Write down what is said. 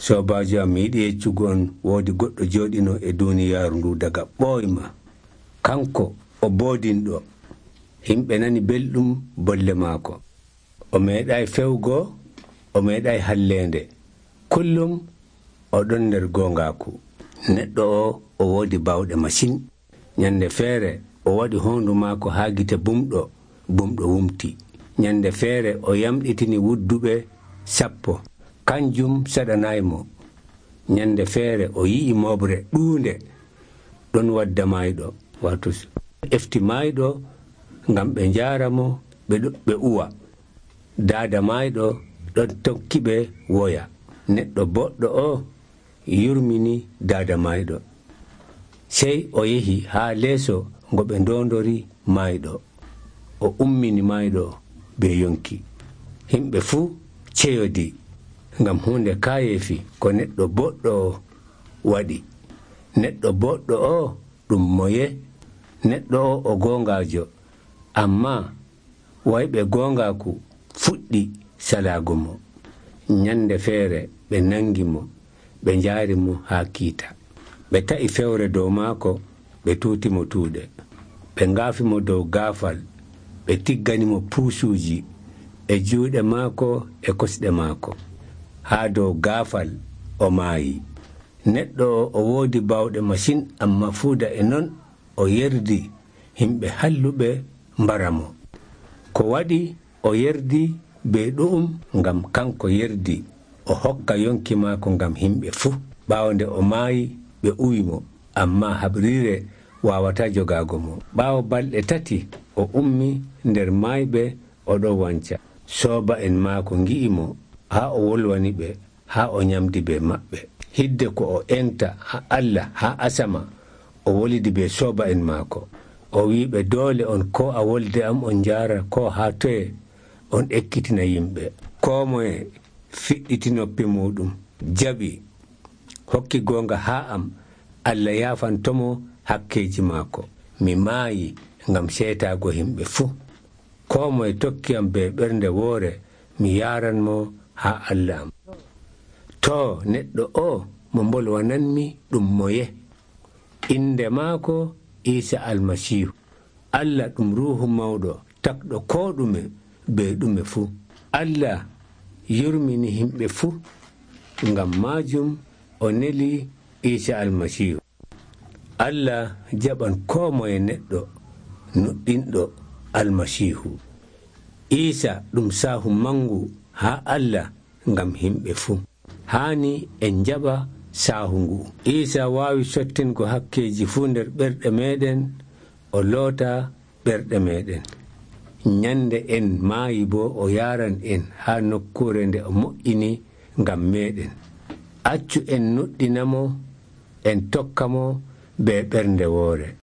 Soobaajo am, mi yiɗi yeccugo on woodi goɗɗo jooɗino e duuniyaaru ndu daga ɓooyma. Kanko o boodinɗo. Himɓe nani belɗum bolle maako. O meeɗaayi fewgo, o meeɗaayi halleende. Kullum o ɗon nder goongaaku. Neɗɗo o woodi bawɗe masin. Nyande feere o waɗi hoondu maako haa gite bumɗo wumti. Nyande feere o yamɗitini wudduɓe 10. Kanjum saɗanaymo. Nyande feere o yi'i moɓre ɗuunde ɗon wadda maayɗo, wato efti maayɗo ngam ɓe njaara mo ɓe uwa. Daada maayɗo ɗon tokki ɓe woya. Neɗɗo boɗɗo o yurmini daada maayɗo. Sey o yehi haa leeso ngo ɓe ndondori maayɗo. O ummini maayɗo be yonki. Himɓe fuu ceyodi ngam hunde kaayeefi ko neɗɗo boɗɗo o waɗi. Neɗɗo boɗɗo o ɗum moye? Neɗɗo o goongaajo, ammaa wayɓe goongaaku fuɗɗi salaago mo. Nyande feere ɓe nangi mo, ɓe njaari mo haa kiita. Ɓe ta'i fewre dow maako, ɓe tuuti mo tuuɗe. Ɓe ngaafi mo dow gaafal, ɓe tiggani mo puusuuji e juuɗe maako e kosɗe maako. Haa dow gaafal o maayi. Neɗɗo o woodi bawɗe masin, ammaa fuuda e non o yerdi himɓe halluɓe mbara mo. Ko waɗi o yerdi be ɗu'um? Ngam kanko yerdi o hokka yonki maako ngam himɓe fuu. Ɓaawo nde o maayi ɓe uwi mo, ammaa haɓriire waawataa jogaago mo. Ɓaawo balɗe 3 o ummi nder maayɓe o ɗon wanca. Sooba'en maako ngi'i mo haa o wolwani ɓe, haa o nyamdi be maɓɓe. Hidde ko o enta Allah haa asama, o wolidi be sooba'en maako. O wi'iɓe, doole on koo a wolde am on njaara koo haa toye on ekkitina yimɓe. Koo moye fiɗɗiti noppi muɗum, jaɓi, hokki goonga haa am, Allah yaafantomo hakkeeji maako. Mi maayi ngam seetaago himɓe fuu. Koo moye tokki am be ɓernde woore, mi yaaranmo haa Allah am. Too, neɗɗo o mo mbolwananmi ɗum moye? Inde maako Iisa Almasiihu. Allah ɗum Ruuhu Mawɗo takɗo koo ɗume be ɗume fuu. Allah yurmini himɓe fuu. Ngam maajum o neli Iisa Almasiihu. Allah jaɓan koo moye neɗɗo nuɗɗinɗo Almasiihu. Iisa ɗum saahu mangu haa Allah ngam himɓe fuu. Haani en jaɓa saahu ngu. Iisa waawi sottingo hakkeeji fuu nder ɓerɗe meeɗen, o loota ɓerɗe meeɗen. Nyande en maayi boo o yaaran en haa nokkuure nde o moƴƴini ngam meeɗen. Accu en nuɗɗinamo, en tokka mo be ɓernde woore.